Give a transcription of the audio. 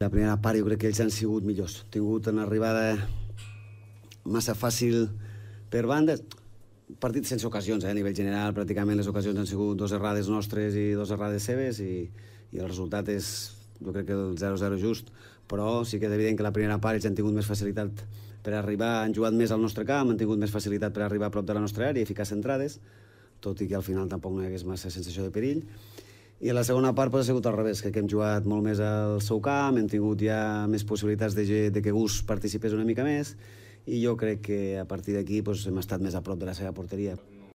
La primera part jo crec que ells han sigut millors. Han tingut una arribada massa fàcil per bandes. Partit sense ocasions, a nivell general, pràcticament les ocasions han sigut 2 errades nostres i 2 errades seves i el resultat és, jo crec que el 0-0 just, però sí que és evident que la primera part ells han tingut més facilitat per arribar, han jugat més al nostre camp, han tingut més facilitat per arribar a prop de la nostra àrea i ficar centrades, tot i que al final tampoc no hi hagués massa sensació de perill. I a la segona part ha sigut al revés, que hem jugat molt més al seu camp, hem tingut ja més possibilitats de que Gus participés una mica més, i jo crec que a partir d'aquí hem estat més a prop de la seva porteria.